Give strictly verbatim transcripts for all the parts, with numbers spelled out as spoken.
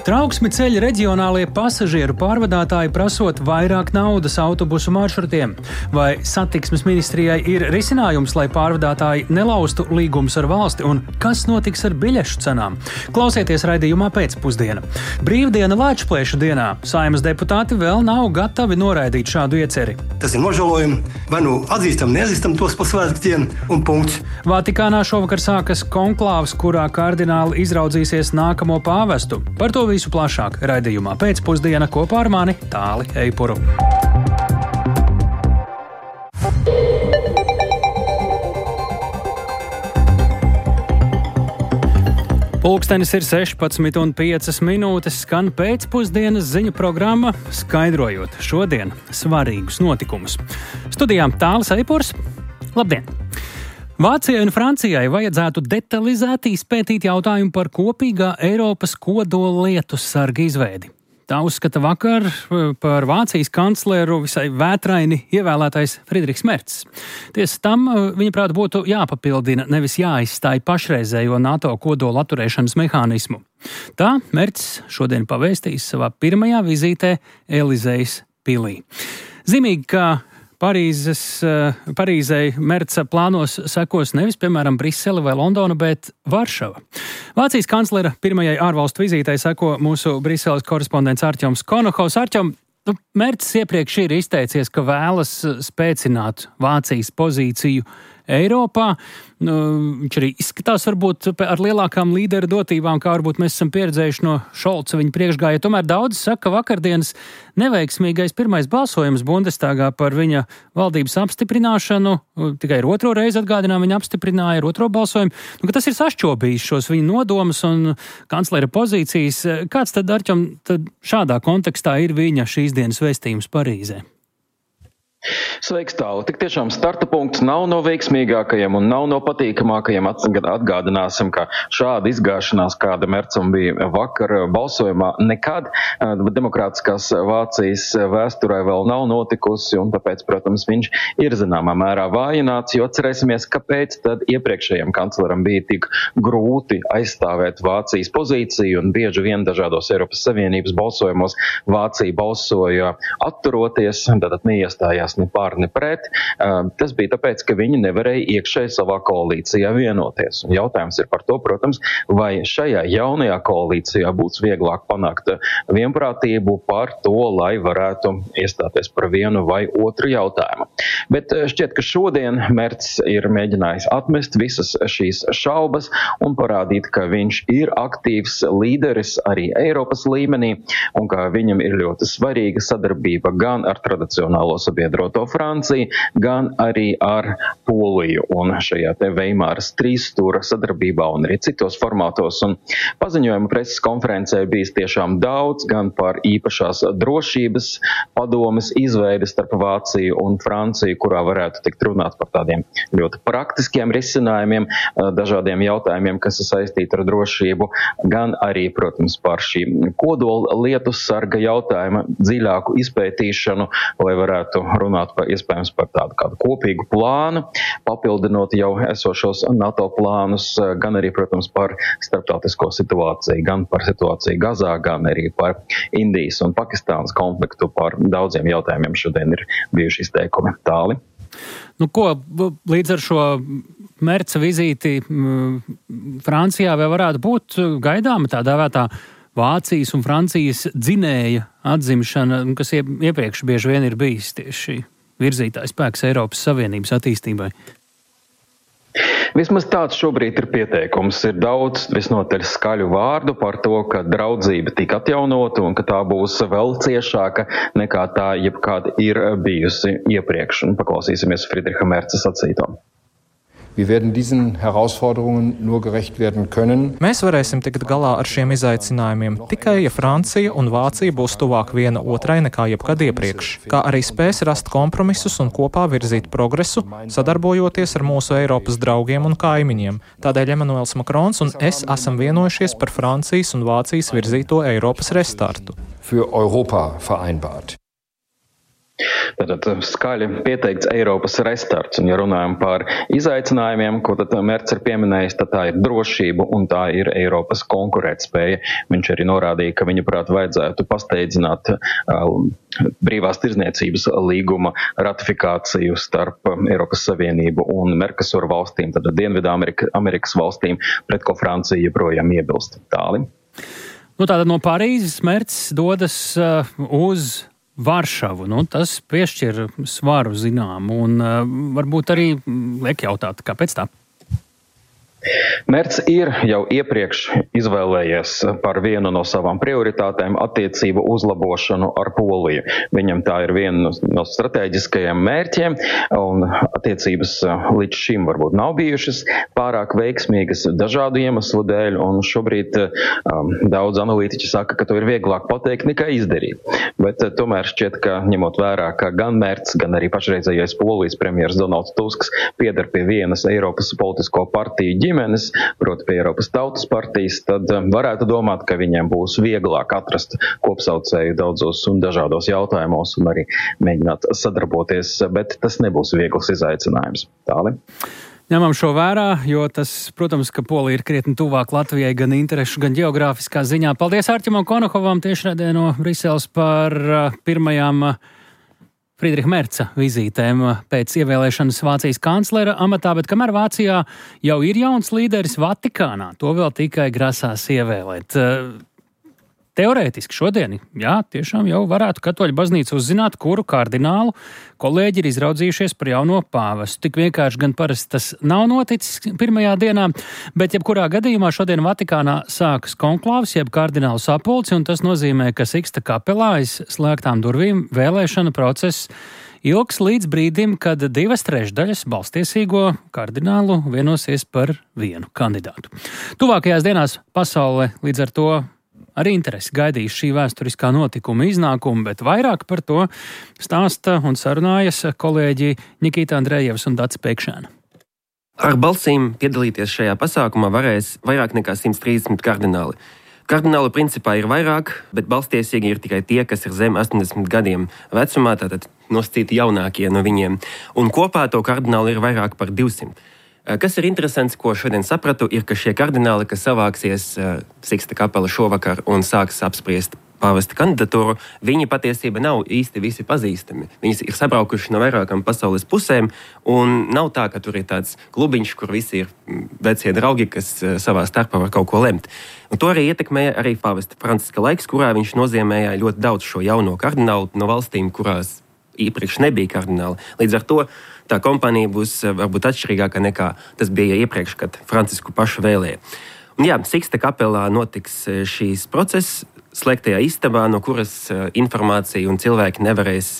Trauksmi ceļ reģionālie pasažieru pārvadātāji prasot vairāk naudas autobusu maršrutiem. Vai satiksmes ministrijai ir risinājums, lai pārvadātāji nelaustu līgumus ar valsti, un kas notiks ar biļešu cenām? Klausieties raidījumā pēcpusdiena. Brīvdiena Lēčplēšu dienā Saeimas deputāti vēl nav gatavi noraidīt šādu ieceri. Tas ir nožēlojumi, vai nu atzīstam, neatzīstam tos pa svētkiem un punkts. Vatikānā šovakar sākas konklāvs, kurā kardināli izraudzīsies nākamo pāvestu. Par to visu plašāk raidījumā pēcpusdiena kopā ar mani Tāli Eipuru. Pulkstenis ir sešpadsmit un piecas minūtes, skan pēcpusdienas ziņu programma, skaidrojot šodien svarīgus notikumus. Studijām Tālis Eipurs. Labdien! Vācijai un Francijai vajadzētu detalizēti izpētīt jautājumu par kopīgā Eiropas kodola lietu sarga izveidi. Tā uzskata vakar par Vācijas kancleru visai vētraini ievēlētais Friedrichs Mercs. Tiesa tam, viņaprāt, būtu jāpapildina, nevis jāizstāj pašreizējo NATO kodola atturēšanas mehānismu. Tā Mercs šodien pavēstīs savā pirmajā vizītē Elizejas pilī. Zīmīgi, ka Parīzes, Parīzei Merca plānos sekos nevis, piemēram, Brisele vai Londona, bet Varšava. Vācijas kanclera pirmajai ārvalstu vizītei seko mūsu Briseles korespondents Artjoms Konohovs. Artjom, nu, Mercs iepriekš ir izteicies, ka vēlas spēcināt Vācijas pozīciju Eiropā. Nu, viņš arī izskatās varbūt ar lielākām līderu dotībām, kā varbūt mēs esam pieredzējuši no Šolca viņa priekšgājā. Tomēr daudzi saka, ka vakardienas neveiksmīgais pirmais balsojums Bundestagā par viņa valdības apstiprināšanu, tikai ar otro reizi atgādinām, viņa apstiprināja ar otro balsojumu, nu, ka tas ir sašķobījis šos viņa nodomus un kanclera pozīcijas. Kāds tad, Arķom, tad šādā kontekstā ir viņa šīs dienas vēstījums Parīzē? Sveiks, Tāli. Tik tiešām starta punkts nav no veiksmīgākajiem un nav no patīkamākajiem. Atgādināsim, ka šāda izgāšanās, kāda Mercam bija vakar balsojumā, nekad demokrātiskās Vācijas vēsturē vēl nav notikusi, un tāpēc, protams, viņš ir zināmā mērā vājināts, jo atcerēsimies, kāpēc tad iepriekšējiem kancleram bija tik grūti aizstāvēt Vācijas pozīciju, un bieži vien dažādos Eiropas Savienības balsojumos Vācija balsoja atturoties, tātad neiestājās ne pār, ne pret. Tas bija tāpēc, ka viņi nevarēja iekšēji savā koalīcijā vienoties. Un jautājums ir par to, protams, vai šajā jaunajā koalīcijā būs vieglāk panākt vienprātību par to, lai varētu iestāties par vienu vai otru jautājumu. Bet šķiet, ka šodien Mercs ir mēģinājis atmest visas šīs šaubas un parādīt, ka viņš ir aktīvs līderis arī Eiropas līmenī un ka viņam ir ļoti svarīga sadarbība gan ar tradicionālo sabiedroto Franciju, gan arī ar Poliju un šajā te Veimāras trīsstūra sadarbībā un arī citos formātos. Un paziņojuma preses konferencē bijis tiešām daudz gan par īpašās drošības padomes izveidi starp Vāciju un Franciju, kurā varētu tikt runāt par tādiem ļoti praktiskiem risinājumiem, dažādiem jautājumiem, kas ir saistīti ar drošību, gan arī, protams, par šī kodola lietu sarga jautājuma dziļāku izpētīšanu, lai varētu runāt par iespējams par tādu kādu kopīgu plānu, papildinot jau esošos NATO plānus, gan arī, protams, par starptautisko situāciju, gan par situāciju Gazā, gan arī par Indijas un Pakistānas konfliktu. Par daudziem jautājumiem šodien ir bijuši izteikumi. Tāli. Nu ko, līdz ar šo Merca vizīti Francijā vēl varētu būt gaidāma tā dēvētā Vācijas un Francijas dzinēja atzimšana, kas iepriekš bieži vien ir bijis tieši virzītājs spēks Eiropas Savienības attīstībai? Vismaz tāds šobrīd ir pieteikums. Ir daudz visnotaļ skaļu vārdu par to, ka draudzība tika atjaunota un ka tā būs vēl ciešāka nekā tā jebkāda ir bijusi iepriekš. Un paklausīsimies Friedricha Merca sacīto. Wir werden diesen Herausforderungen nur gerecht werden können. Mēs varēsim tikt galā ar šiem izaicinājumiem tikai, ja Francija un Vācija būs tuvāk viena otrai nekā jebkad iepriekš, kā arī spēs rast kompromisus un kopā virzīt progresu, sadarbojoties ar mūsu Eiropas draugiem un kaimiņiem. Tādēļ Emmanuels Makrons un es esam vienojušies par Francijas un Vācijas virzīto Eiropas restartu. Für Europa vereinbart. Tātad skaļi pieteikts Eiropas restarts, un ja runājam par izaicinājumiem, ko tad Merts ir pieminējis, tad tā ir drošība un tā ir Eiropas konkurētspēja. Viņš arī norādīja, ka viņuprāt vajadzētu pasteidzināt uh, brīvās tirdzniecības līguma ratifikāciju starp Eiropas Savienību un Mercosur valstīm, tad Dienvidu Amerika, Amerikas valstīm, pret ko Francija joprojām iebilst. Tāli. Nu, tātad no Parīzes Merts dodas uh, uz Varšavu. Nu, tas piešķir svaru zinām un uh, varbūt arī liek jautāt, kāpēc tā? Merts ir jau iepriekš izvēlējies par vienu no savām prioritātēm attiecību uzlabošanu ar Poliju. Viņam tā ir viena no strateģiskajiem mērķiem, un attiecības līdz šim varbūt nav bijušas pārāk veiksmīgas dažādu iemeslu dēļ, un šobrīd um, daudz analītiķi saka, ka to ir vieglāk pateikt nekā izdarīt. Bet uh, tomēr šķiet, ka ņemot vērā, ka gan Merts, gan arī pašreizējais Polijas premjers Donalds Tusks pieder pie vienas Eiropas politisko partiju ģimenes, proti pie Eiropas Tautas partijas, tad varētu domāt, ka viņiem būs vieglāk atrast kopsaucēju daudzos un dažādos jautājumos un arī mēģināt sadarboties, bet tas nebūs viegls izaicinājums. Tāli. Ņemam šo vērā, jo tas, protams, ka Polija ir krietni tuvāk Latvijai gan interešu, gan geogrāfiskā ziņā. Paldies Arķimam Konokovam tiešraidē no Briseles par pirmajām Friedriha Merca vizītēm pēc ievēlēšanas Vācijas kanclera amatā, bet kamēr Vācijā jau ir jauns līderis Vatikānā, to vēl tikai grasās ievēlēt. Teorētiski šodien, jā, tiešām jau varētu Katoļu baznīca uzzināt, kuru kardinālu kolēģi ir izraudzījušies par jauno pāvestu. Tik vienkārši gan parasti tas nav noticis pirmajā dienā, bet jebkurā gadījumā šodien Vatikānā sākas konklāvs, jeb kardinālu sapulci, un tas nozīmē, ka Siksta kapelā aiz slēgtām durvīm vēlēšana process ilgs līdz brīdim, kad divas trešdaļas balstiesīgo kardinālu vienosies par vienu kandidātu. Tuvākajās dienās pasaule līdz ar to ar interesi gaidīs šī vēsturiskā notikuma iznākumu, bet vairāk par to stāsta un sarunājas kolēģi Nikita Andrejevs un Dace Pēkšēna. Ar balsīm piedalīties šajā pasākumā varēs vairāk nekā simt trīsdesmit kardināli. Kardinālu principā ir vairāk, bet balstiesīgi ir tikai tie, kas ir zem astoņdesmit gadiem vecumā, tātad nosacīti jaunākie no viņiem. Un kopā to kardinālu ir vairāk par divsimt. Kas ir interesants, ko šodien sapratu, ir, ka šie kardināli, kas savāksies uh, Siksta kapela šovakar un sāks apspriest pāvesta kandidatūru, viņi patiesība nav īsti visi pazīstami. Viņi ir sabraukuši no vairākām pasaules pusēm, un nav tā, ka tur ir tāds klubiņš, kur visi ir vecie draugi, kas uh, savā starpā var kaut ko lemt. Un to arī ietekmēja arī pāvesta Franciska laiks, kurā viņš nozīmēja ļoti daudz šo jauno kardinālu no valstīm, kurās iepriekš nebija kardināli. Līdz ar to tā kompānija būs varbūt atšķirīgāka nekā tas bija iepriekš, kad Francisku pašu vēlēja. Un jā, Siksta kapelā notiks šīs process slēgtajā istabā, no kuras informācija un cilvēki nevarēs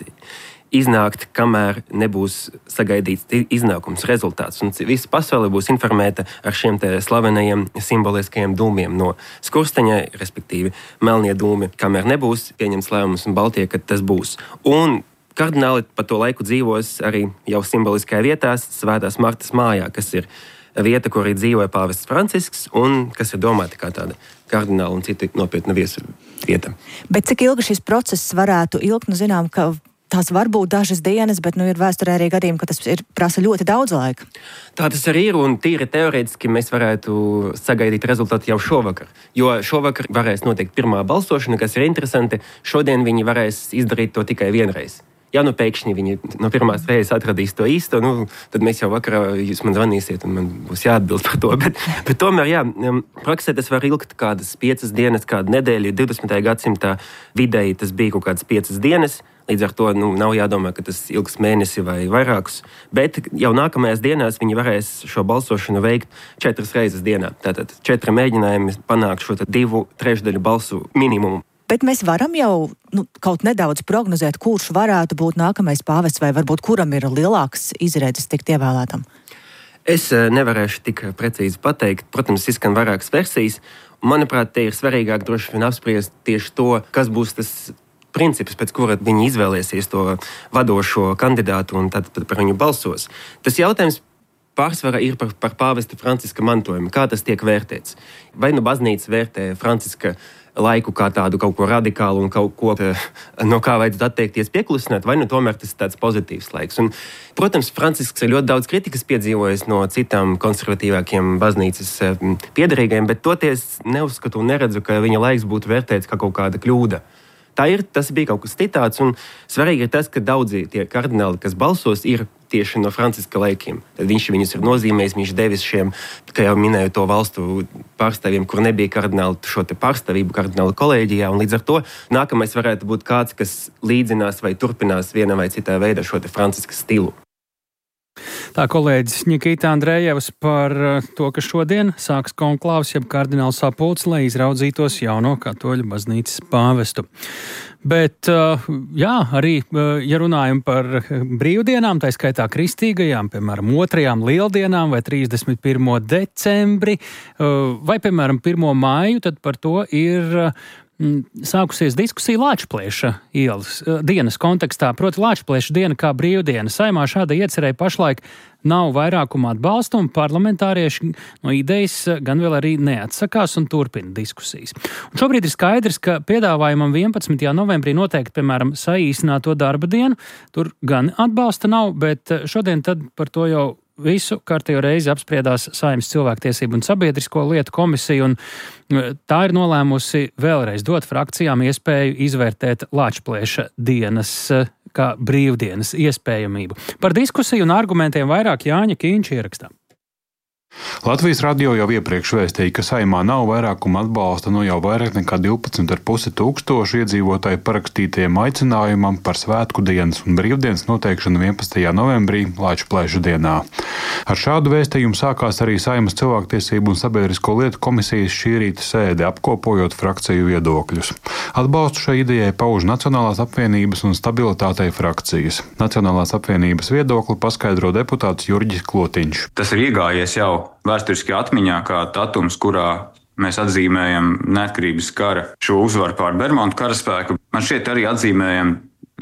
iznākt, kamēr nebūs sagaidīts iznākums rezultāts. Un visa pasaule būs informēta ar šiem te slavenajiem simboliskajiem dūmiem no skursteņa, respektīvi melnie dūmi, kamēr nebūs pieņemts lēmums un Baltie, kad tas būs. Un kardināli pa to laiku dzīvos arī jau simboliskajā vietā, Svētās Martas mājā, kas ir vieta, kur arī dzīvoja pāvests Francisks un kas ir domāta kā tāda kardināla un citi nopietna viesu vieta. Bet cik ilgi šis process varētu ilgt? Nu, zinām, ka tās var būt dažas dienas, bet nu, ir vēsturē arī gadījumi, ka tas ir, prasa ļoti daudz laika. Tā tas arī ir, un tīri teorētiski mēs varētu sagaidīt rezultātu jau šovakar. Jo šovakar varēs notikt pirmā balsošana, kas ir interesanti. Šodien viņi varēs izdarīt to tikai vienreiz. Ja nu pēkšņi viņi no pirmās reizes atradīs to īsto, nu, tad mēs jau vakarā jūs man zvanīsiet un man būs jāatbild par to. Bet, bet tomēr, jā, praksē tas var ilgt kādas piecas dienas, kādu nedēļu. divdesmitajā gadsimtā vidēji tas bija kaut kādas piecas dienas. Līdz ar to nu, nav jādomā, ka tas ilgs mēnesi vai vairākus. Bet jau nākamajās dienās viņi varēs šo balsošanu veikt četras reizes dienā. Tātad četri mēģinājumi panākt šo divu trešdaļu balsu minimumu. Bet mēs varam jau nu, kaut nedaudz prognozēt, kurš varētu būt nākamais pāvests, vai varbūt kuram ir lielāks izredzes tikt ievēlētam? Es nevarēšu tik precīzi pateikt. Protams, izskan vairākas versijas. Manuprāt, te ir svarīgāk droši vien apspriest tieši to, kas būs tas princips, pēc kura viņi izvēlēsies to vadošo kandidātu un tad, tad par viņu balsos. Tas jautājums pārsvarā ir par, par pāvesta Franciska mantojumu. Kā tas tiek vērtēts? Vai nu baznīca vērtē Franciska laiku kā tādu kaut ko radikālu un kaut ko, no kā vajadzētu atteikties pieklusināt, vai nu tomēr tas ir tāds pozitīvs laiks. Un, protams, Francisks ir ļoti daudz kritikas piedzīvojis no citām konservatīvākiem baznīcas piederīgajiem, bet toties neuzskatu un neredzu, ka viņa laiks būtu vērtēts kā kaut kāda kļūda. Tā ir, tas bija kaut kas citāds, un svarīgi ir tas, ka daudzi tie kardināli, kas balsos, ir tieši no Franciska laikiem. Tad viņš viņus ir nozīmējis, viņš devis šiem, kā jau minēju, to valstu pārstāvjiem, kur nebija kardināli šo te pārstāvību kardinālu kolēģijā, un līdz ar to nākamais varētu būt kāds, kas līdzinās vai turpinās vienā vai citā veidā šo te Franciska stilu. Tā kolēģis Nikita Andrejevs par to, ka šodien sāks konklāvs, jeb kardināls sapulcs, lai izraudzītos jauno katoļu baznīcas pāvestu. Bet, jā, arī, ja runājam par brīvdienām, tā skaitā kristīgajām, piemēram, otrajām lieldienām vai trīsdesmit pirmo decembri, vai, piemēram, pirmo māju, tad par to ir sākusies diskusija Lāčplēša ielas dienas kontekstā, proti Lāčplēša diena kā brīvdiena. Saimā šāda iecerēja pašlaik nav vairākuma atbalsta, un parlamentārieši no idejas gan vēl arī neatsakās un turpina diskusijas. Un šobrīd ir skaidrs, ka piedāvājumam vienpadsmitajā novembrī noteikti, piemēram, saīsināto darba dienu, tur gan atbalsta nav, bet šodien tad par to jau visu kārtējo reizi apspriedās Saeimas cilvēktiesību un sabiedrisko lietu komisija, un tā ir nolēmusi vēlreiz dot frakcijām iespēju izvērtēt Lāčplēša dienas kā brīvdienas iespējamību. Par diskusiju un argumentiem vairāk Jāņa Kīņš ierakstā. Latvijas radio jau iepriekš vēstīja, ka Saeimā nav vairākuma atbalsta no jau vairāk nekā divpadsmit ar pusi tūkstošu iedzīvotāju parakstītajiem aicinājumam par svētku dienas un brīvdienas noteikšanu vienpadsmitajā novembrī Lāčplēša dienā. Ar šādu vēstījumu sākās arī Saeimas cilvēktiesību un sabiedrisko lietu komisijas šī rīta sēde, apkopojot frakciju viedokļus. Atbalstu šai idejai pauž Nacionālās apvienības un stabilitātei frakcijas. Nacionālās apvienības viedokli paskaidro deputāts Jurģis Klotiņš. Tas ir iegājies jau vēsturiskajā atmiņā kā datums, kurā mēs atzīmējam neatkarības kara šo uzvaru pār Bermontu karaspēku. Man šķiet arī atzīmējam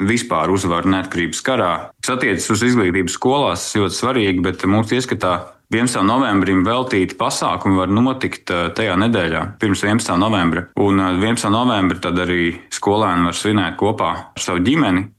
vispār uzvaru neatkarības karā. Tas attiecas uz izglītības skolās, ļoti svarīgi, bet mūsu ieskatā vienpadsmitajam novembrim veltīti pasākumi var notikt tajā nedēļā, pirms vienpadsmitā novembra. Un vienpadsmitā novembra tad arī skolēni var svinēt kopā ar savu ģimeni.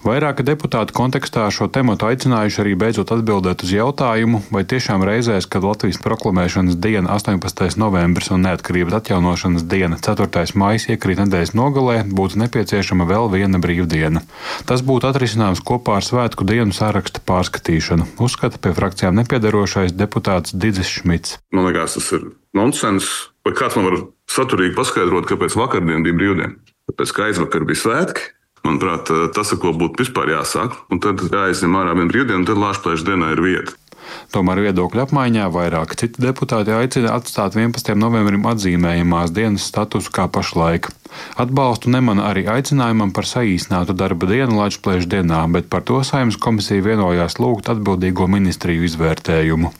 Vairāki deputāti kontekstā šo tematu aicinājuši arī beidzot atbildēt uz jautājumu, vai tiešām reizēs, kad Latvijas proklamēšanas diena astoņpadsmitais novembris un neatkarības atjaunošanas diena ceturtais maijs iekrīt nedēļas nogalē, būtu nepieciešama vēl viena brīvdiena. Tas būtu atrisinājums kopā ar svētku dienu saraksta pārskatīšanu, uzskata pie frakcijām nepiedarošais deputāts Didzis Šmits. Man liekas, tas ir nonsens. Vai kāds man var saturīgi paskaidrot, kāpēc vakardien bija brīvdiena? Tāpēc, ka aizvakar bija svētki. Manuprāt, tas, ar ko būtu vispār jāsāk, un tad jāizņem ārā viena brīvdiena, un tad Lāčplēša dienā ir vieta. Tomēr viedokļu apmaiņā vairāk citi deputāti aicina atstāt vienpadsmitajam novembrim atzīmējamās dienas statusu kā pašlaik. Atbalstu nemana arī aicinājumam par saīsinātu darba dienu Lāčplēša dienā, bet par to Saeimas komisija vienojās lūgt atbildīgo ministriju izvērtējumu.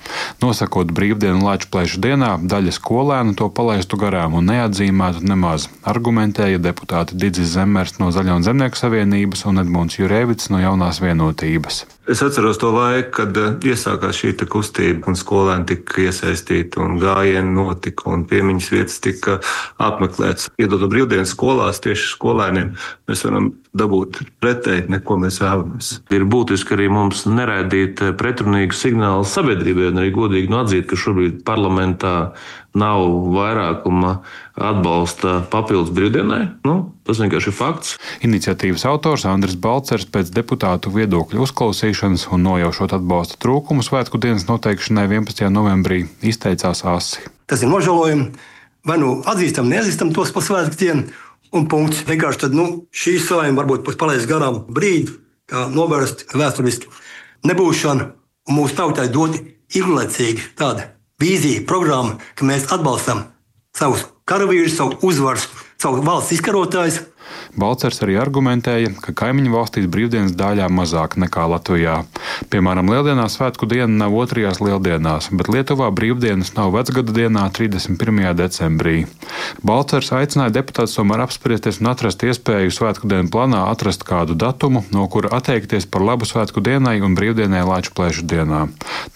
Nosakot brīvdienu Lāčplēša dienā, daļa skolēnu to palaistu garām un neatzīmētu nemaz, argumentēja deputāti Didzis Zemmers no Zaļo un Zemnieku savienības un Edmunds Jurēvits no Jaunās vienotības. Es atceros to laiku, kad iesākās šī kustība un skolēni tika iesaistīti un gājieni notika un piemiņas vietas tika apmeklētas. Iedodot brīvdienas skolās tieši skolēniem, mēs varam dabūt pretēji, neko mēs vēlamies. Ir būtiski arī mums neraidīt pretrunīgu signālu sabiedrībai un arī godīgi atzīt, ka šobrīd parlamentā nav vairākuma atbalsta papildus brīvdienai. Nu, tas vienkārši ir fakts. Iniciatīvas autors Andris Balcers pēc deputātu viedokļu uzklausīšanas un nojaušot atbalsta trūkumu svētku dienas noteikšanai vienpadsmitajā novembrī izteicās asi. Tas ir nožēlojumi. Vai nu atzīstam, neatzīstam tos par svētku dienu un punkts. Vienkārši tad, nu, šī Saeima varbūt palaist garām brīdi, kā novērst vēsturiski nebūšanu, un mūsu tautai dot ilglaicīgi tāda vīzija, programma, ka mēs atbalstam savus karavīrus, savu uzvaras, savu valsts izkarotājus. Balcers arī argumentēja, ka kaimiņu valstīs brīvdienas daļā mazāk nekā Latvijā. Piemēram, Lieldienās svētku diena nav otrajās lieldienās, bet Lietuvā brīvdienas nav vecgada dienā trīsdesmit pirmajā decembrī. Balcers aicināja deputātus tomēr apspriesties un atrast iespēju svētku dienu plānā atrast kādu datumu, no kura atteikties par labu svētku dienai un brīvdienai Lāčplēša dienā.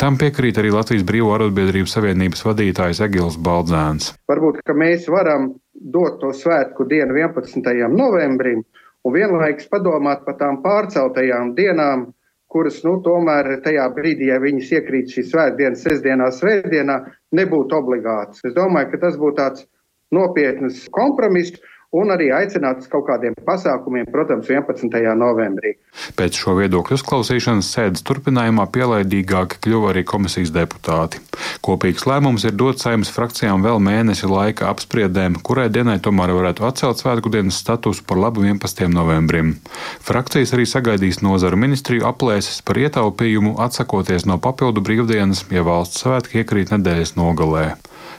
Tam piekrīt arī Latvijas Brīvo arotbiedrību savienības vadītājs Egils Baldzēns. Varbūt, ka mēs varam dot to svētku dienu vienpadsmitajam novembrim un vienlaikus padomāt par tām pārceltajām dienām, kuras, nu, tomēr tajā brīdī, ja viņas iekrīt šī svētdienas sestdienā, svētdienā, nebūtu obligāts. Es domāju, ka tas būtu tāds nopietnas kompromiss un arī aicināts kaut kādiem pasākumiem, protams, vienpadsmitajā novembrī. Pēc šo viedokļu uzklausīšanas sēdes turpinājumā pielaidīgāki kļuva arī komisijas deputāti. Kopīgs lēmums ir dot Saeimas frakcijām vēl mēnesi laika apspriedēm, kurai dienai tomēr varētu atcelt svētku dienas statusu par labu vienpadsmitajam novembrim. Frakcijas arī sagaidīs nozaru ministriju aplēses par ietaupījumu, atsakoties no papildu brīvdienas, ja valsts svētki iekrīt nedēļas nogalē.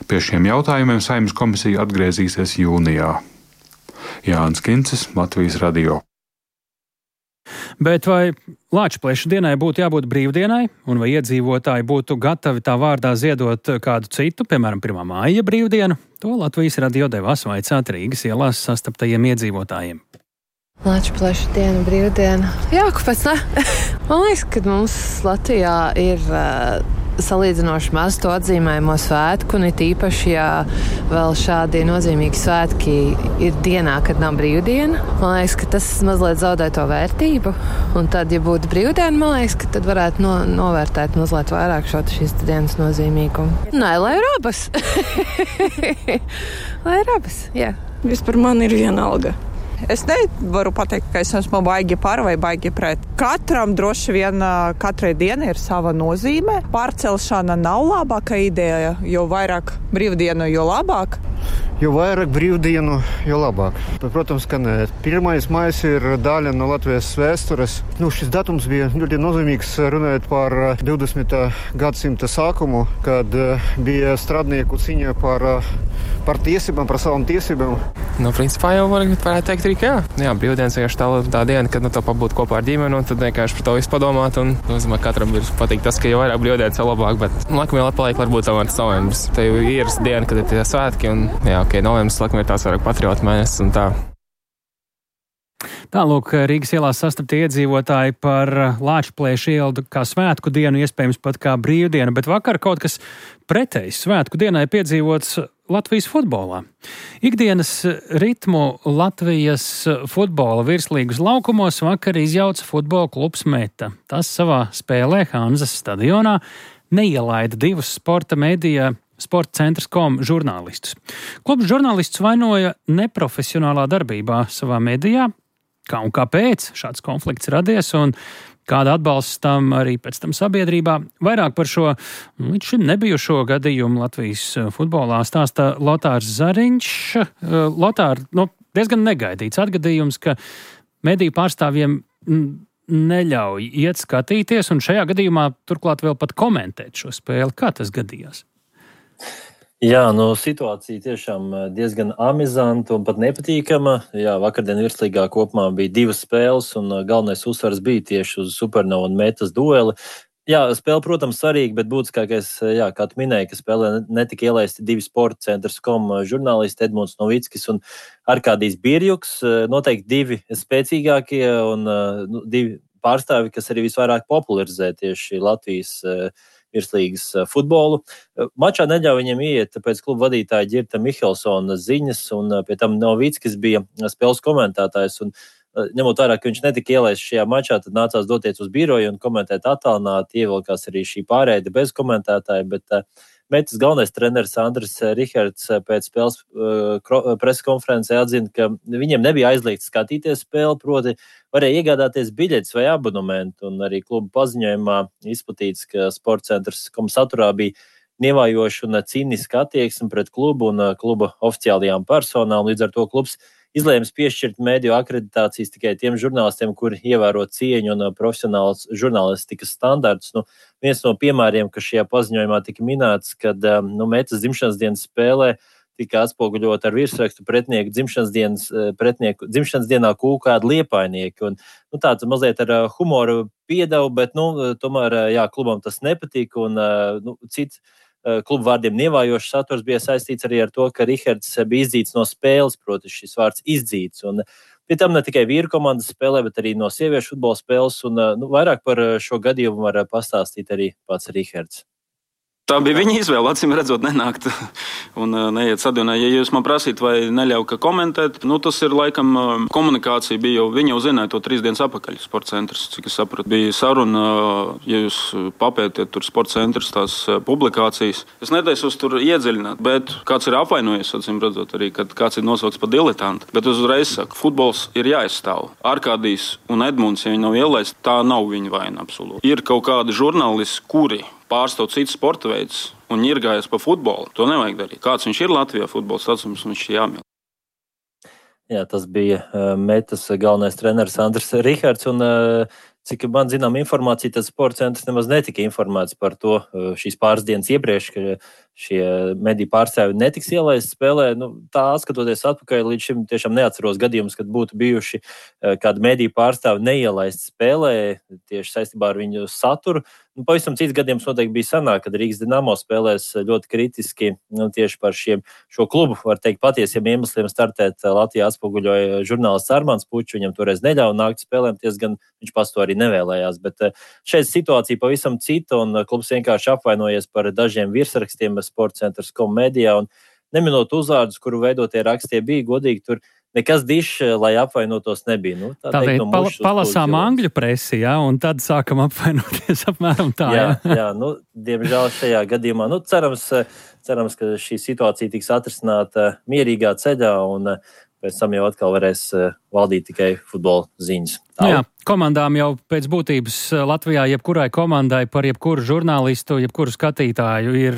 Pie šiem jautājumiem Saeimas komisija atgriezīsies jūnijā. Jānis Kincis, Latvijas radio. Bet vai Lāčplēša dienai būtu jābūt brīvdienai, un vai iedzīvotāji būtu gatavi tā vārdā ziedot kādu citu, piemēram, pirmā māja brīvdienu? To Latvijas radio devās vaicāt Rīgas ielās sastaptajiem iedzīvotājiem. Lāčplēša diena, brīvdiena. Jā, kāpēc ne? Man liekas, ka mums Latvijā ir uh, salīdzinoši maz to atzīmējumu svētku, un it īpaši, ja vēl šādi nozīmīgi svētki ir dienā, kad nav brīvdiena. Man liekas, ka tas mazliet zaudē to vērtību, un tad, ja būtu brīvdiena, man liekas, ka tad varētu no, novērtēt mazliet vairāk šo šīs dienas nozīmīgumu. Nē, lai ir abas. Lai ir abas, jā. Vispār man ir vienalga. Es nevaru pateikt, ka es esmu baigi par vai baigi pret. Katram droši vien, katrai dienai ir sava nozīme. Pārcelšana nav labāka ideja, jo vairāk brīvdienu, jo labāk. Jo vairāk brīvdienu, jo labāk. Protams, ka nē. Pirmais maijs ir daļa no Latvijas vēstures. Nu, šis datums bija ļoti nozīmīgs, runājot par divdesmitā gadsimta sākumu, kad bija strādnieku cīņa par, par tiesībām, par savām tiesībām. Nu, principā jau varētu teikt arī, ka jā. Jā, brīvdienas vienkārši tā, tā diena, kad nu, to pabūt kopā ar ģimeni, un tad vienkārši par to visu padomāt. Un, nu, zinu, katram ir patīk tas, ka jau vairāk brīvdienas jau labāk, bet laikam jau atpaliek varbūt tomēr novembris. Te jau ir diena, kad ir tie svētki, un jā, ok, novembris laikam ir tās vairāk patriotu mēnesis un tā. Tālūk, Rīgas ielās sastaptie iedzīvotāji par Lāčplēša ielu kā svētku dienu, iespējams pat kā brīvdienu, bet vakar kaut kas pretējs svētku dienai piedzīvots Latvijas futbolā. Ikdienas ritmu Latvijas futbola virslīgas laukumos vakar izjauca futbola klubs Meta. Tas savā spēlē Hanzas stadionā neielaida divus sporta medija Sporta centrs punkt com žurnālistus. Klubs žurnālistus vainoja neprofesionālā darbībā savā medijā. Kā un kāpēc šāds konflikts radies un kāda atbalsts tam arī pēc tam sabiedrībā. Vairāk par šo līdz šim nebijušo gadījumu Latvijas futbolā stāsta Lotārs Zariņš. Lotār, nu, diezgan negaidīts atgadījums, ka mediju pārstāvjiem neļauj iet skatīties un šajā gadījumā turklāt vēl pat komentēt šo spēli. Kā tas gadījās? Jā, nu, situācija tiešām diezgan amizanta un pat nepatīkama. Jā, vakardien virslīgā kopumā bija divas spēles un galvenais uzsvars bija tieši uz Supernovu un Metas dueli. Jā, spēle, protams, svarīga, bet būtiskākais, jā, kā tu minēji, ka spēlē netika ielaisti divi Sporta centrs punkt com žurnālisti Edmunds Novickis un Arkādijs Birjuks. Noteikti divi spēcīgākie un nu, divi pārstāvi, kas arī visvairāk popularizē tieši Latvijas virslīgas futbolu. Mačā neļauj viņiem iet, tāpēc kluba vadītāja Ģirta Mihelsona ziņas, un pie tam Novickis bija spēles komentētājs, un ņemot vērā, ka viņš netika ielaists šajā mačā, tad nācās doties uz biroju un komentēt attālināti, ievilkās arī šī pārēde bez komentētāja, bet Metas galvenais treneris Andris Rihards pēc spēles preskonferencē atzina, ka viņiem nebija aizliegts skatīties spēli, proti varēja iegādāties biļetes vai abonementu, un arī kluba paziņojumā izplatīts, ka Sporta centrs punkt com saturā bija nievājoša un cīniska attieksme pret klubu un kluba oficiālajām personām, līdz ar to klubs izlēms piešķirt mediju akreditācijas tikai tiem žurnālistiem, kuri ievēro cieņu un profesionāls žurnālistikas standartus. Nu, viens no piemēriem, kas šajā paziņojumā tika minēts, kad nu, Metas dzimšanas dienas spēlē tika atspoguļot ar virsrakstu pretinieku dzimšanas dienas, pretinieku dzimšanas dienā kūkādi liepainieki. Un, nu, tāds mazliet ar humoru piedevu, bet, nu, tomēr, jā, klubam tas nepatika un, nu, cits klubu vārdiem nievājošs saturs bija saistīts arī ar to, ka Rihards bija izdzīts no spēles, proti šis vārds izdzīts. Un pie tam ne tikai vīru komandas spēlē, bet arī no sieviešu futbola spēles. Un, nu, vairāk par šo gadījumu var pastāstīt arī pats Rihards. Tā bija viņa izvēle, acīm redzot, nenākt un neiet sadunā. Ja jūs man prasīt, vai neļauj ka komentēt, nu tas ir laikam komunikācija bija jau, viņa jau zināja to trīs dienas apakaļ sporta centrs, cik es sapratu. Bija saruna, ja jūs papētiet tur sporta centrs tās publikācijas. Es netaisos tur iedziļināt, bet kāds ir apvainojies, acīm redzot arī, kad kāds ir nosaukts par diletantu. Bet es uzreiz saku, futbols ir jāizstāv. Arkādijs un Edmunds, ja viņi nav ielaisti, tā nav viņa vaina absolūti. Ir kaut kādi žurnālisti, kuri pārstāv cits sporta veids un ņirgājas pa futbolu. To nevajag darīt. Kāds viņš ir Latvijā futbols, tāds mums viņš ir jāmīl. Jā, tas bija uh, Metas galvenais treneris Andris Rihards, un uh, cik man zinām informācija, tad sporta centrs nemaz netika informēts par to uh, šīs pāris dienas iepriekš, ka šie mediju pārstāvji netiks ielaisti spēlē. Nu, tā skatoties atpakaļ, līdz šim tiešām neatceros gadījumus, kad būtu bijuši uh, kādi mediju pārstāvji neielaisti spēlē tieši saistībā ar viņu saturu. Nu, pavisam cits gadījums noteikti bija sanāk, kad Rīgas Dinamo spēlēs ļoti kritiski nu, tieši par šiem, šo klubu, var teikt, patiesiem iemesliem startēt Latvijā atspoguļoja žurnālists Armāns Pučs, viņam toreiz neļauj nākt spēlēm, ties gan viņš pats to arī nevēlējās, bet šeit situācija pavisam cita un klubs vienkārši apvainojies par dažiem virsrakstiem sporta centrs kom medijā un neminot uzvārdus, kuru veidotie rakstie bija godīgi tur. Nekas dišs, lai apvainotos, nebija. Nu, tā tā teikt, no pal- palasām angļu presi, jā, un tad sākam apvainoties apmēram tā. Jā, jā. jā nu, diemžēl šajā gadījumā. Nu, cerams, cerams, ka šī situācija tiks atrisināta mierīgā ceļā, un pēc tam jau atkal varēs valdīt tikai futbola ziņas. Nu, jā, komandām jau pēc būtības Latvijā jebkurai komandai par jebkuru žurnālistu, jebkuru skatītāju ir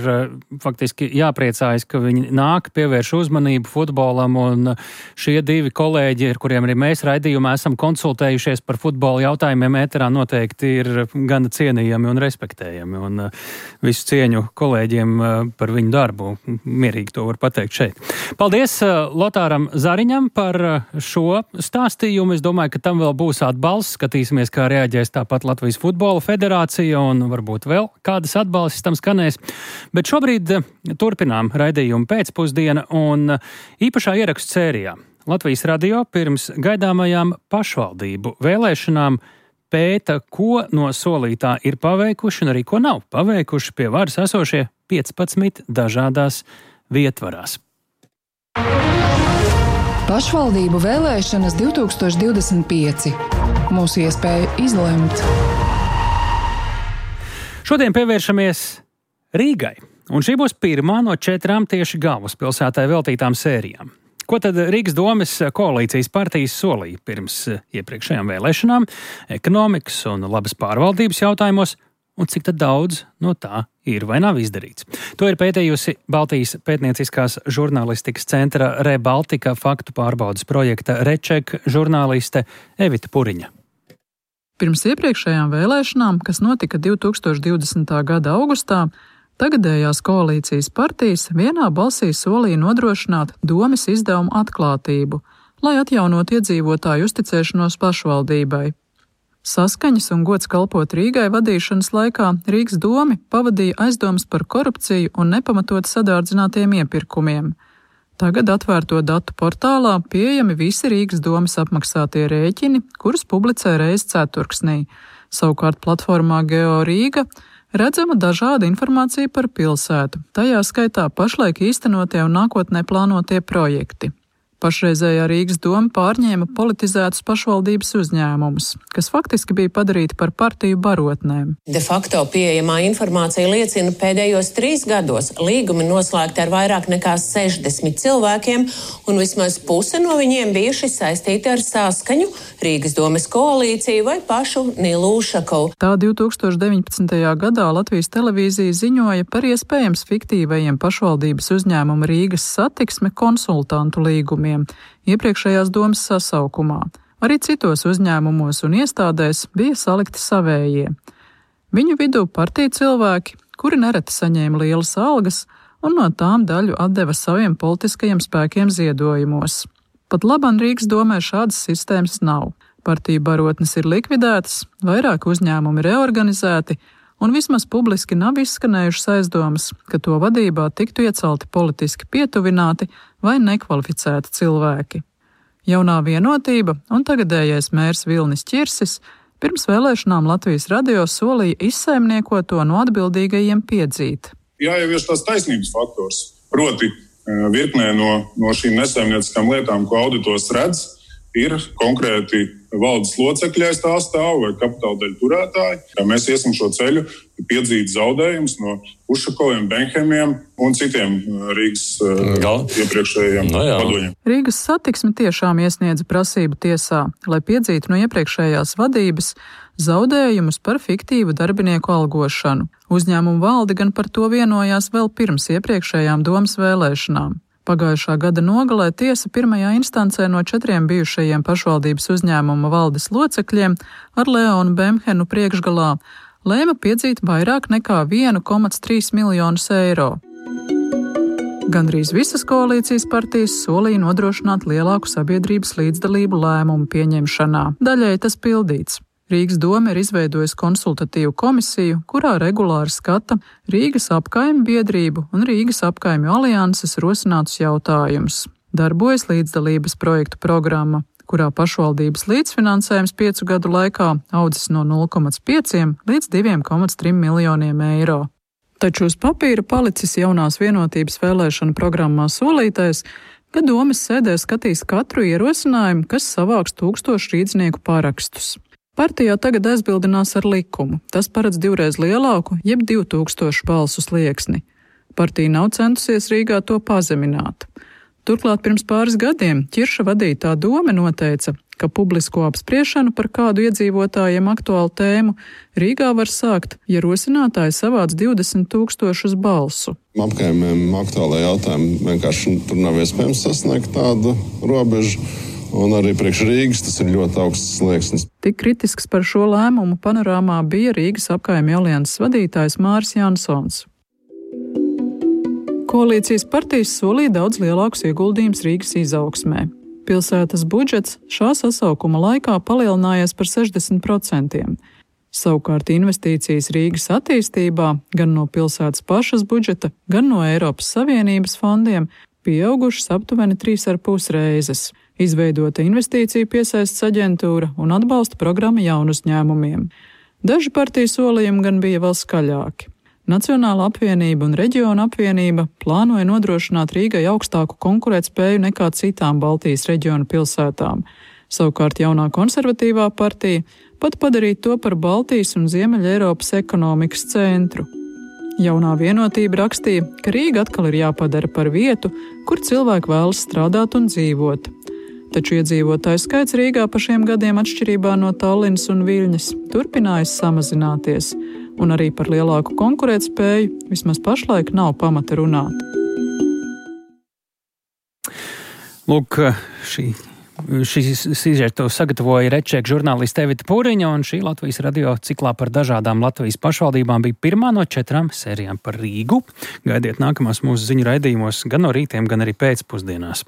faktiski jāpriecājas, ka viņi nāk, pievērš uzmanību futbolam, un šie divi kolēģi, ar kuriem arī mēs raidījumā esam konsultējušies par futbola jautājumiem ēterā, noteikti ir gana cienījami un respektējami, un visu cieņu kolēģiem par viņu darbu. Mierīgi to var pateikt šeit. Paldies Lotāram Zariņam par šo stāstījumu. Es domāju, ka tam vēl būs atbalsts. Skatīsimies, kā reaģēs tāpat Latvijas futbola federācija un varbūt vēl kādas atbalstis tam skanēs. Bet šobrīd turpinām raidījumu pēcpusdiena un īpašā ierakstu sērijā. Latvijas radio pirms gaidāmajām pašvaldību vēlēšanām pēta, ko no solītā ir paveikuši un arī ko nav paveikuši pie varas esošie piecpadsmit dažādās vietvarās. Pašvaldību vēlēšanas divi tūkstoši divdesmit pieci. Mūsu iespēja izlemt. Šodien pievēršamies Rīgai, un šī būs pirmā no četrām tieši galvaspilsētai veltītām sērijām. Ko tad Rīgas domes koalīcijas partijas solīja pirms iepriekšējām vēlēšanām, ekonomikas un labas pārvaldības jautājumos, un cik tad daudz no tā ir vai nav izdarīts? To ir pētījusi Baltijas pētnieciskās žurnālistikas centra Rebaltika faktu pārbaudas projekta Reček žurnāliste Evita Puriņa. Pirms iepriekšējām vēlēšanām, kas notika divi tūkstoši divdesmitā gada augustā, tagadējās koalīcijas partijas vienā balsī solīja nodrošināt domes izdevumu atklātību, lai atjaunot iedzīvotāju uzticēšanos pašvaldībai. Saskaņas un gods kalpot Rīgai vadīšanas laikā Rīgas domi pavadīja aizdomas par korupciju un nepamatot sadārdzinātiem iepirkumiem. Tagad atvērto datu portālā pieejami visi Rīgas domes apmaksātie rēķini, kurus publicē reizi ceturksnī. Savukārt platformā Geo Rīga redzama dažāda informācija par pilsētu, tajā skaitā pašlaik īstenotie un nākotnē plānotie projekti. Pašreizējā Rīgas doma pārņēma politizētus pašvaldības uzņēmumus, kas faktiski bija padarīti par partiju barotnēm. De facto pieejamā informācija liecina, pēdējos trīs gados līgumi noslēgti ar vairāk nekā sešdesmit cilvēkiem, un vismaz puse no viņiem bijuši saistīti ar Saskaņu, Rīgas domes koalīciju vai pašu Nilu Ušakovu. Tā divi tūkstoši deviņpadsmitajā gadā Latvijas televīzija ziņoja par iespējams fiktīvajiem pašvaldības uzņēmumu Rīgas satiksme konsultantu līgumiem iepriekšējās domas sasaukumā. Arī citos uzņēmumos un iestādēs bija salikti savējie. Viņu vidū partiju cilvēki, kuri nereti saņēma lielas algas un no tām daļu atdeva saviem politiskajiem spēkiem ziedojumos. Pat laban Rīgas domē šādas sistēmas nav. Partiju barotnes ir likvidētas, vairāk uzņēmumi reorganizēti, un vismaz publiski nav izskanējušas aizdomas, ka to vadībā tiktu iecelti politiski pietuvināti vai nekvalificēti cilvēki. Jaunā Vienotība un tagadējais mērs Vilnis Ķirsis pirms vēlēšanām Latvijas radio solīja izsaimniekot to no atbildīgajiem piedzīt. Jāievieš tās taisnības faktors, proti virknē no, no šīm nesaimnieciskām lietām, ko auditors redz, ir konkrēti valdes locekļi aiz tā stāv vai kapitāla daļu turētāji. Mēs iesim šo ceļu, piedzīt zaudējumus no Ušakoviem, Benhemiem un citiem Rīgas Gal. iepriekšējiem no vadoņiem. Rīgas Satiksme tiešām iesniedza prasību tiesā, lai piedzītu no iepriekšējās vadības zaudējumus par fiktīvu darbinieku algošanu. Uzņēmumu valde gan par to vienojās vēl pirms iepriekšējām domas vēlēšanām. Pagājušā gada nogalē tiesa pirmajā instancē no četriem bijušajiem pašvaldības uzņēmuma valdes locekļiem ar Leonu Bemhenu priekšgalā lēma piedzīt vairāk nekā vienu komats trīs miljonus eiro. Gandrīz visas koalīcijas partijas solīja nodrošināt lielāku sabiedrības līdzdalību lēmumu pieņemšanā. Daļai tas pildīts. Rīgas doma ir izveidojusi konsultatīvu komisiju, kurā regulāri skata Rīgas apkaimju biedrību un Rīgas apkaimju alianses rosinātus jautājumus. Darbojas līdzdalības projektu programma, kurā pašvaldības līdzfinansējums piecu gadu laikā audzis no nulle komats pieci līdz divi komats trīs miljoniem eiro. Taču uz papīra palicis jaunās Vienotības vēlēšanu programmā solītais, ka domes sēdē skatīs katru ierosinājumu, kas savāks tūkstošu rīdznieku parakstus. Partijā tagad aizbildinās ar likumu. Tas paredz divreiz lielāku, jeb divu tūkstošu balsu slieksni. Partija nav centusies Rīgā to pazemināt. Turklāt pirms pāris gadiem Ķirša vadītā dome noteica, ka publisko apspriešanu par kādu iedzīvotājiem aktuālu tēmu Rīgā var sākt, ja rosinātāji savāc divdesmit tūkstošus balsu. Apkaimiem aktuālajā jautājumā vienkārši tur nav iespējams sasniegt tādu robežu. Un arī priekš Rīgas tas ir ļoti augsts slieksnis. Tik kritisks par šo lēmumu panorāmā bija Rīgas apkaimju alianses vadītājs Māris Jansons. Koalīcijas partijas solīja daudz lielākus ieguldījumus Rīgas izaugsmē. Pilsētas budžets šā sasaukuma laikā palielinājies par sešdesmit procentiem. Savukārt investīcijas Rīgas attīstībā gan no pilsētas pašas budžeta, gan no Eiropas Savienības fondiem pieaugušas aptuveni trīs ar pus reizes. Izveidota investīciju piesaists aģentūra un atbalsta programma jaunu uzņēmumiem. Daži partiju solījumi gan bija vēl skaļāki. Nacionāla apvienība un reģiona apvienība plānoja nodrošināt Rīgai augstāku konkurētspēju nekā citām Baltijas reģiona pilsētām. Savukārt jaunā konservatīvā partija pat padarīt to par Baltijas un Ziemeļa Eiropas ekonomikas centru. Jaunā Vienotība rakstīja, ka Rīga atkal ir jāpadara par vietu, kur cilvēki vēlas strādāt un dzīvot. Taču iedzīvotāju skaits Rīgā pa šiem gadiem atšķirībā no Tallinas un Viļņas turpinājas samazināties, un arī par lielāku konkurētspēju vismaz pašlaik nav pamata runāt. Lūk, šī, šī sižetu sagatavoja Rečēka žurnāliste Evita Pūriņa, un šī Latvijas radio ciklā par dažādām Latvijas pašvaldībām bija pirmā no četrām sērijām par Rīgu. Gaidiet nākamās mūsu ziņu raidījumos gan no rītiem, gan arī pēcpusdienās.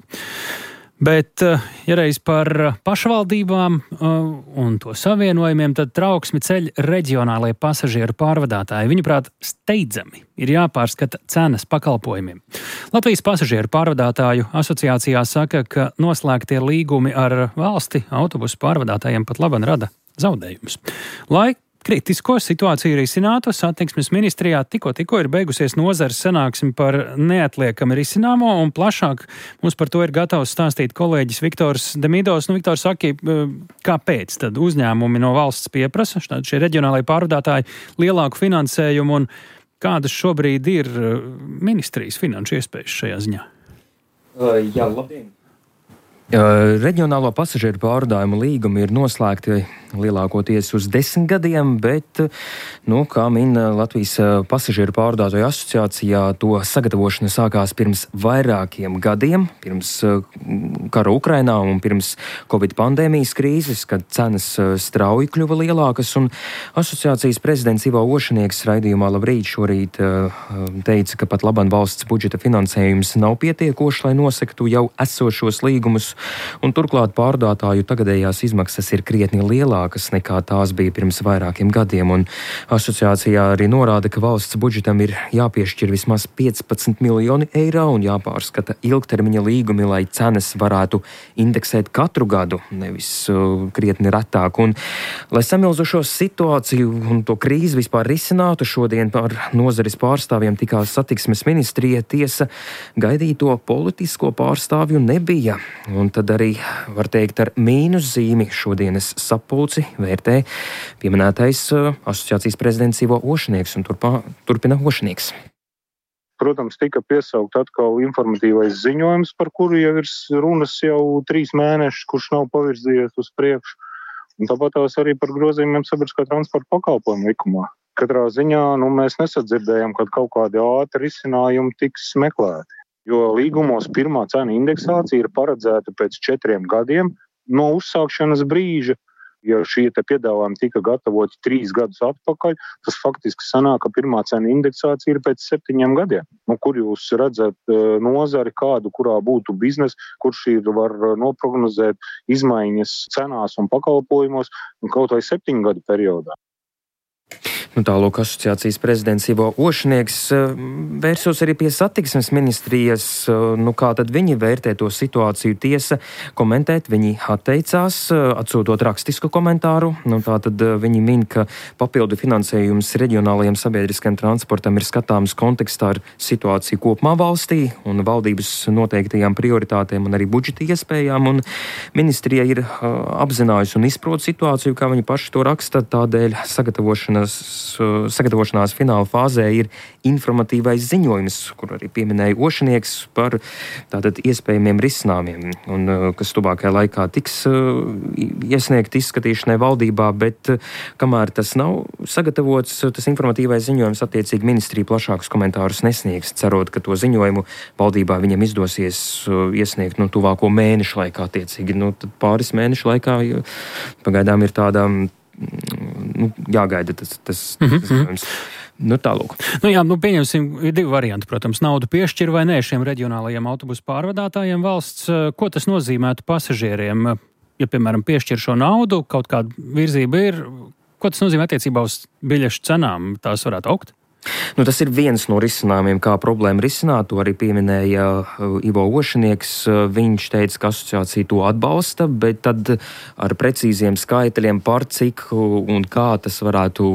Bet, ja reiz par pašvaldībām un to savienojumiem, tad trauksmi ceļ reģionālajie pasažieru pārvadātāji. Viņuprāt, steidzami ir jāpārskata cenas pakalpojumiem. Latvijas pasažieru pārvadātāju asociācijā saka, ka noslēgtie līgumi ar valsti autobusu pārvadātājiem pat laban rada zaudējumus. Lai kritisko situāciju risinātu, satiksmes ministrijā tikko tikko ir beigusies nozares sanāksme par neatliekami risināmo, un plašāk mums par to ir gatavs stāstīt kolēģis Viktors Demidovs. Nu, Viktors, saki, kāpēc tad uzņēmumi no valsts pieprasa, šie reģionālajie pārvadātāji, lielāku finansējumu, un kādas šobrīd ir ministrijas finanšu iespējas šajā ziņā? Uh, jā, labdien. Uh, reģionālo pasažieru pārvadājumu līgumi ir noslēgti lielākoties uz desmit gadiem, bet, nu, kā min Latvijas pasažieru pārvadātāju asociācijā, to sagatavošana sākās pirms vairākiem gadiem, pirms kara Ukrainā un pirms Covid pandēmijas krīzes, kad cenas strauji kļuva lielākas, un asociācijas prezidents Ivo Ošanieks raidījumā Labrīt šorīt teica, ka pat labam valsts budžeta finansējums nav pietiekošs, lai nosaktu jau esošos līgumus, un turklāt pārvadātāju tagadējās izmaksas ir krietni lielākas nekā tās bija pirms vairākiem gadiem, un asociācijā arī norāda, ka valsts budžetam ir jāpiešķir vismaz piecpadsmit miljoni eiro un jāpārskata ilgtermiņa līgumi, lai cenas varētu indeksēt katru gadu, nevis uh, krietni retāk. Un, lai samilzušo situāciju un to krīzi vispār risinātu, šodien par nozares pārstāvjiem tikās satiksmes ministrija, tiesa gaidīto politisko pārstāvju nebija. Un tad arī, var teikt, ar mīnus zīmi šodienas sapulci vērtē pieminētais uh, asociācijas prezidents Ivo Ošanieks, un turpā, turpina Ošanieks. Protams, tika piesaukt atkal informatīvais ziņojums, par kuru jau ir runas jau trīs mēnešus, kurš nav pavirzījies uz priekšu. Un tāpat tās arī par grozījumiem sabiedriskā transporta pakalpojumu likumā. Katrā ziņā nu, mēs nesadzirdējam, kad kaut kādi ātri risinājumi tiks meklēti. Jo līgumos pirmā cena indeksācija ir paredzēta pēc četriem gadiem no uzsākšanas brīža. Ja šie te piedāvājumi tika gatavoti trīs gadus atpakaļ, tas faktiski sanāk, ka pirmā cena indeksācija ir pēc septiņiem gadiem. Nu, kur jūs redzat nozari kādu, kurā būtu biznesa, kurš ir var noprognozēt izmaiņas cenās un pakalpojumos un kaut vai septiņu gadu periodā. Nu, tālūk asociācijas prezidents Ivo Ošanieks vērsos arī pie satiksmes ministrijas. Nu, kā tad viņi vērtē to situāciju? Tiesa komentēt viņi atteicās, atsūtot rakstisku komentāru. Nu, tātad viņi min, ka papildu finansējums reģionālajiem sabiedriskajiem transportam ir skatāms kontekstā ar situāciju kopumā valstī un valdības noteiktajām prioritātēm un arī budžeta iespējām. Un ministrija ir apzinājusi un izprot situāciju, kā viņi paši to raksta, tādēļ sagatavošanas sagatavošanās fināla fāzē ir informatīvais ziņojums, kur arī pieminēja Ošanieks par tātad iespējamiem risinājumiem, un kas tuvākajā laikā tiks iesniegt izskatīšanai valdībā, bet kamēr tas nav sagatavots, tas informatīvais ziņojums attiecīgi ministrija plašākus komentārus nesniegs, cerot, ka to ziņojumu valdībā viņam izdosies iesniegt nu, tuvāko mēnešu laikā attiecīgi. Nu, tad pāris mēnešu laikā pagaidām ir tāda Nu, jāgaida tas, tas, mm-hmm. tas ziņojums. Nu, tālūk. Nu, jā, nu, pieņemsim, ir divi varianti, protams, naudu piešķir vai nē šiem reģionālajiem autobusu pārvadātājiem valsts. Ko tas nozīmētu pasažieriem? Ja, piemēram, piešķir šo naudu, kaut kāda virzība ir, ko tas nozīmē attiecībā uz biļešu cenām? Tās varētu augt? Nu, tas ir viens no risinājumiem, kā problēmu risināt. To arī pieminēja Ivo Ošanieks. Viņš teica, ka asociācija to atbalsta, bet tad ar precīziem skaitļiem par cik un kā tas varētu,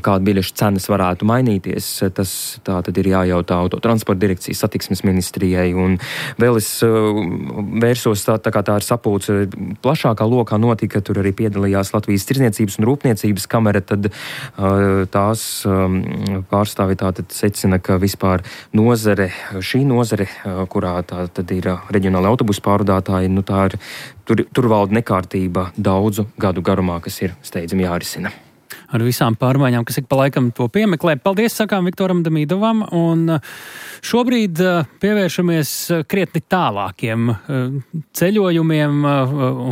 kāda biļešu cenas varētu mainīties, tas tā tad ir jājautā autotransporta direkcijas satiksmes ministrijai. Un vēl es vērsos, tā, tā kā tā ir sapulce plašākā lokā notika, tur arī piedalījās Latvijas Tirdzniecības un Rūpniecības kamera, tad tās pārstāvi tātad secina, ka vispār nozare, šī nozare, kurā tā tad ir reģionāli autobusu pārvadātāji, nu tā ir, tur, tur valda nekārtība daudzu gadu garumā, kas ir steidzami jārisina. Ar visām pārmaiņām, kas ik pa laikam to piemeklē. Paldies, sakām Viktoram Damīdovam, un šobrīd pievēršamies krietni tālākiem ceļojumiem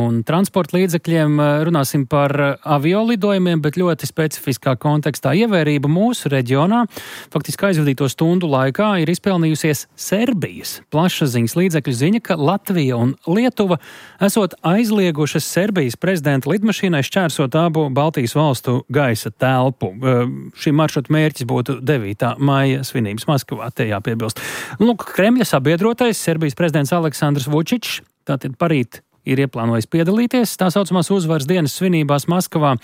un transporta līdzekļiem. Runāsim par aviolidojumiem, bet ļoti specifiskā kontekstā. Ievērība mūsu reģionā faktiski aizvadīto stundu laikā ir izpelnījusies Serbijas plašsaziņas līdzekļu ziņa, ka Latvija un Lietuva esot aizliegušas Serbijas prezidenta lidmašīnai šķērsot abu Baltijas valstu gaisa telpu. Šī maršruta mērķis būtu devītā maija svinības Maskavā, te jāpiebilst. Lūk, Kremļa sabiedrotais Serbijas prezidents Aleksandrs Vučičs tātad parīt ir ieplānojis piedalīties tā saucamās uzvaras dienas svinībās Maskavā.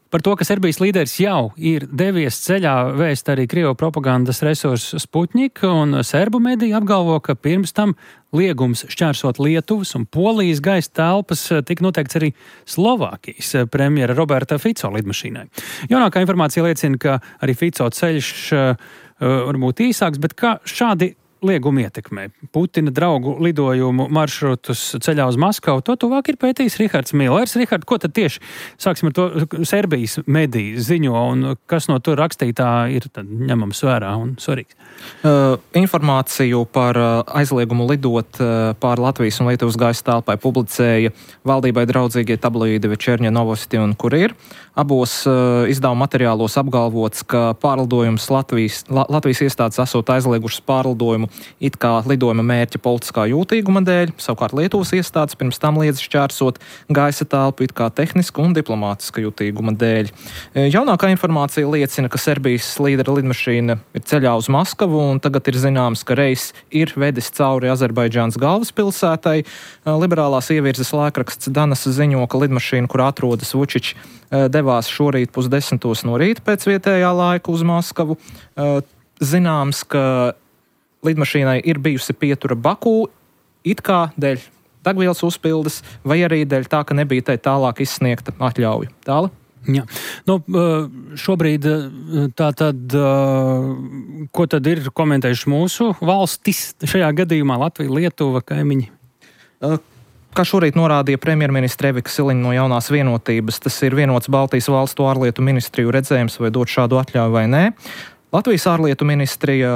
Par to, ka Serbijas līderis jau ir devies ceļā, vēst arī Krievu propagandas resursu Sputnik, un serbu mediji apgalvo, ka pirms tam liegums šķērsot Lietuvas un Polijas gaisa telpas tika noteikts arī Slovākijas premjera Roberta Fico lidmašīnai. Jaunākā informācija liecina, ka arī Fico ceļš uh, varbūt īsāks, bet kā šādi lieguma ietekmē Putina draugu lidojumu maršrutus ceļā uz Maskavu. To tuvāk ir pētījis Rihards Millers. Richard, ko tad tieši, sāksim ar to, Serbijas mediji ziņo un kas no tur rakstītā ir tad ņemams vērā un svarīgs? Uh, informāciju par uh, aizliegumu lidot uh, pār Latvijas un Lietuvas gaisa telpai publicēja valdībai draudzīgie tabloīdi Večerņa Novosti un Kurir. Abos uh, izdevuma materiālos apgalvots, ka pārlidojums Latvijas, La, Latvijas iestādes esot aizliegušas pārlidojumu it kā lidojuma mērķa politiskā jūtīguma dēļ, savukārt Lietuvas iestādes pirms tam liedz šķērsot gaisa telpu it kā tehniska un diplomātiska jūtīguma dēļ. Jaunākā informācija liecina, ka Serbijas līdera lidmašīna ir ceļā uz Maskavu un tagad ir zināms, ka reiss ir vedis cauri Azerbaidžānas galvaspilsētai. Liberālās ievirzes laikraksts Danas ziņo, ka lidmašīna, kur atrodas Vučić, devās šorīt pusdesmitos no rīta pēc vietējā laika uz Maskavu. Zināms, ka lidmašīnai ir bijusi pietura Baku, it kā dēļ degvielas uzpildes, vai arī dēļ tā, ka nebija tai tālāk izsniegta atļauja. Tāla? Jā. Nu, šobrīd tā tad, ko tad ir komentējuši mūsu valstis šajā gadījumā Latvija, Lietuva, kaimiņi? Kā šorīt norādīja premjerministre Evika Siliņa no Jaunās vienotības, tas ir vienots Baltijas valstu ārlietu ministriju redzējums, vai dot šādu atļauju vai nē. Latvijas ārlietu ministrija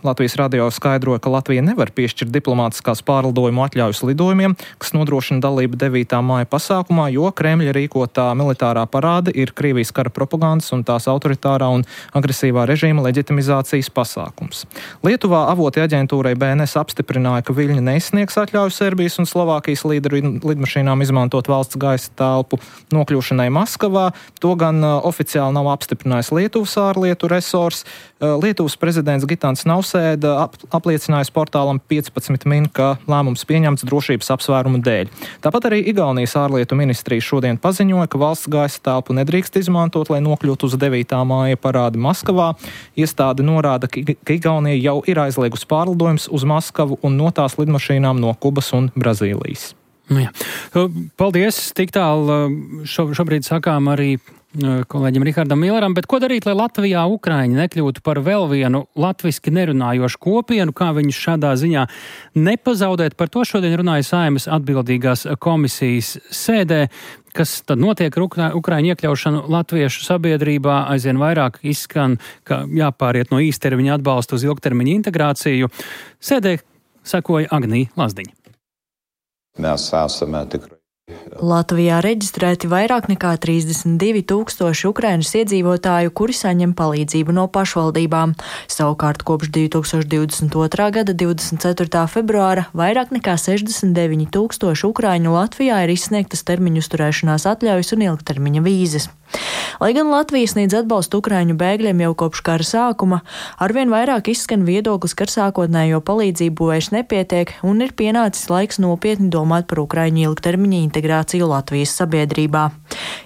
Latvijas radio skaidroja, ka Latvija nevar piešķirt diplomātiskās pārlidojumu atļaujas lidojumiem, kas nodrošina dalību devītā māja pasākumā, jo Kremļa rīkotā militārā parāde ir Krievijas kara propagandas un tās autoritārā un agresīvā režīma leģitimizācijas pasākums. Lietuvā avoti aģentūrai B N S apstiprināja, ka Viļņa neizsniegs atļauju Serbijas un Slovākijas līderu lidmašīnām izmantot valsts gaisa telpu nokļūšanai Maskavā. To gan oficiāli nav apstiprinājis Lietuvas ārlietu resors. Lietuvas prezidents Gitans Nausēda ap, apliecinājis portālam piecpadsmit min, ka lēmums pieņemts drošības apsvērumu dēļ. Tāpat arī Igaunijas ārlietu ministrija šodien paziņoja, ka valsts gaisa telpu nedrīkst izmantot, lai nokļūtu uz devītā māja parādi Maskavā. Iestāde norāda, ka Igaunija jau ir aizliegusi pārlidojums uz Maskavu un no tās lidmašīnām no Kubas un Brazīlijas. Nu jā. Paldies, tik tālu šo, šobrīd sakām arī kolēģim Rihardam Milleram, bet ko darīt, lai Latvijā Ukraiņi nekļūtu par vēl vienu latviski nerunājošu kopienu, kā viņus šādā ziņā nepazaudēt? Par to šodien runāja Saeimas atbildīgās komisijas sēdē. Kas tad notiek ar Ukra- Ukraiņu iekļaušanu latviešu sabiedrībā? Aizvien vairāk izskan, ka jāpāriet no īstermiņa atbalsta uz ilgtermiņa integrāciju. Sēdē sekoja Agnija Lazdiņa. Mēs esam tikrai. Latvijā reģistrēti vairāk nekā trīsdesmit divi tūkstoši Ukrainas iedzīvotāju, kuri saņem palīdzību no pašvaldībām. Savukārt kopš divi tūkstoši divdesmit otrā gada divdesmit ceturtā februāra vairāk nekā sešdesmit deviņi tūkstoši Ukraiņu Latvijā ir izsniegtas termiņu uzturēšanās atļaujas un ilgtermiņa vīzes. Lai gan Latvija sniedz atbalstu Ukraiņu bēgļiem jau kopš kara sākuma, arvien vairāk izskan viedoklis, ka ar sākotnējo palīdzību vairs nepietiek un ir pienācis laiks nopietni domāt par Ukraiņu ilgtermiņa integrāciju Latvijas sabiedrībā.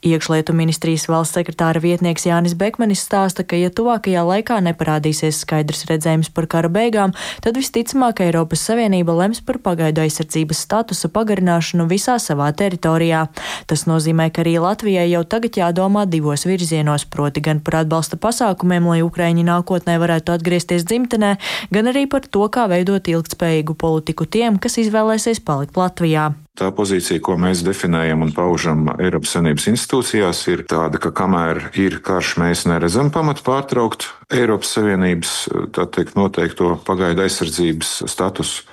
Iekšlietu ministrijas valsts sekretāra vietnieks Jānis Bekmanis stāsta, ka ja tuvākajā laikā neparādīsies skaidrs redzējums par kara beigām, tad visticamāk Eiropas Savienība lems par pagaidu aizsardzības statusa pagarināšanu visā savā teritorijā. Tas nozīmē, ka arī Latvijai jau tagad jādomā divos virzienos, proti gan par atbalsta pasākumiem, lai Ukraiņi nākotnē varētu atgriezties dzimtenē, gan arī par to, kā veidot ilgtspējīgu politiku tiem, kas izvēlēsies palikt Latvijā. Tā pozīcija, ko mēs definējam un paužam Eiropas Savienības institūcijās, ir tāda, ka kamēr ir karš, mēs neredzam pamatu pārtraukt Eiropas Savienības, tā teikt, noteikto pagaidu aizsardzības statusu.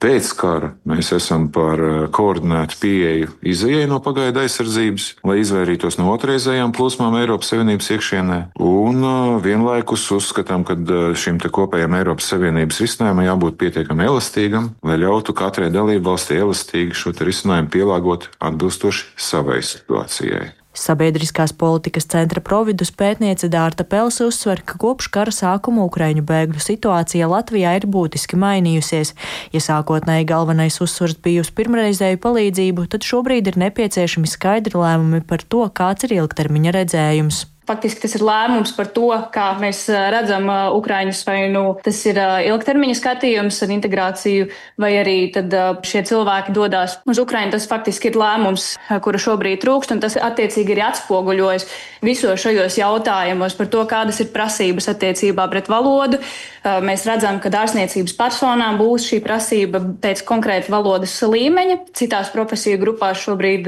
Pēc kara mēs esam par koordinētu pieeju izejai no pagaidu aizsardzības, lai izvairītos no otrreizējām plūsmām Eiropas Savienības iekšienē. Un vienlaikus uzskatām, ka šim te kopējam Eiropas Savienības risinājumam jābūt pietiekami elastīgam, lai ļautu katrai dalībvalstī elastīgi šo risinājumu pielāgot atbilstoši savai situācijai. Sabiedriskās politikas centra Providus pētniece Dārta Pelse uzsver, ka kopš kara sākuma Ukraiņu bēgļu situācija Latvijā ir būtiski mainījusies. Ja sākotnēji galvenais uzsvars bija uz pirmreizēju palīdzību, tad šobrīd ir nepieciešami skaidri lēmumi par to, kāds ir ilgtermiņa redzējums. Faktiski tas ir lēmums par to, kā mēs redzam Ukraiņus, vai nu tas ir ilgtermiņa skatījums ar integrāciju, vai arī tad šie cilvēki dodās uz Ukraiņu. Tas faktiski ir lēmums, kura šobrīd trūkst, un tas attiecīgi ir atspoguļojas visos šajos jautājumos par to, kādas ir prasības attiecībā pret valodu, Mēs redzam, ka ārstniecības personām būs šī prasība pēc konkrēta valodas līmeņa. Citās profesiju grupās šobrīd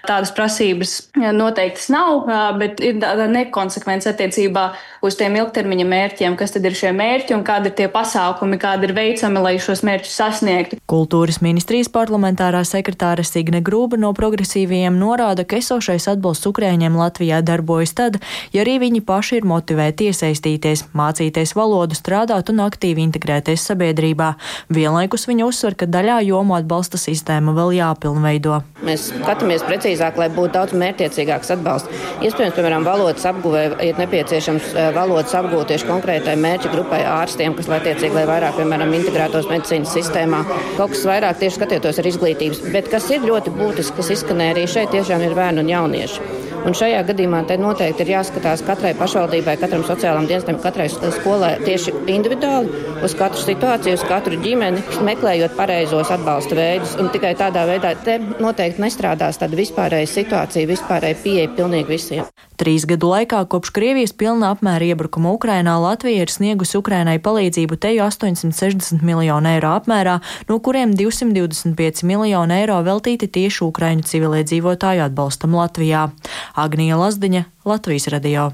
tādas prasības noteiktas nav, bet ir tāda nekonsekvence attiecībā uz tiem ilgtermiņa mērķiem, kas tad ir šie mērķi un kādi ir tie pasākumi, kādi ir veicami, lai šos mērķus sasniegtu. Kultūras ministrijas parlamentārā sekretāre Signe Grūba no progresīvajiem norāda, ka esošais atbalsts Ukraiņiem Latvijā darbojas tad, ja arī viņi paši ir motivēti iesaistīties, mācīties valodu, strādāt un aktīvi integrēties sabiedrībā. Vienlaikus viņa uzsver, ka daļā jomu atbalsta sistēma vēl jāpilnveido. Mēs skatāmies precīzāk, lai būtu daudz mērķtiecīgāks atbalsts. Iespējams, piemēram, valodas apguvē ir nepieciešams valodas apgūt tieši konkrētai mērķa grupai ārstiem, kas attiecīgi, lai vairāk, piemēram, integrētos medicīnas sistēmā. Kaut kas vairāk tieši skatietos ar izglītības, bet kas ir ļoti būtiski, kas izskanēja arī šeit, tiešām ir bērni un jaunieši. Un šajā gadījumā te noteikti ir jāskatās katrai pašvaldībai, katram sociālam dienestam, katrai skolai tieši individuāli uz katru situāciju, uz katru ģimeni, meklējot pareizos atbalsta veidus. Un tikai tādā veidā te noteikti nestrādās tāda vispārēja situācija, vispārēja pieeja pilnīgi visiem. Trīs gadu laikā kopš Krievijas pilna apmēra iebrukuma Ukrainā Latvija ir sniegusi Ukrainai palīdzību teju astoņsimt sešdesmit miljonu eiro apmērā, no kuriem divsimt divdesmit pieci miljoni eiro veltīti tieši Ukraiņu civiliedzīvotāju atbalstam Latvijā. Agnija Lazdiņa, Latvijas radio.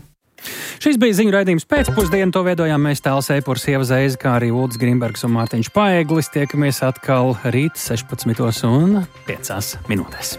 Šis bija ziņu raidījums pēcpusdienu, to veidojām mēs Tāls Eipurs, Ieva Zeize, kā arī Uldis Grimbergs un Mārtiņš Paeglis. Tiekamies atkal rīt sešpadsmitos un piecās minūtēs.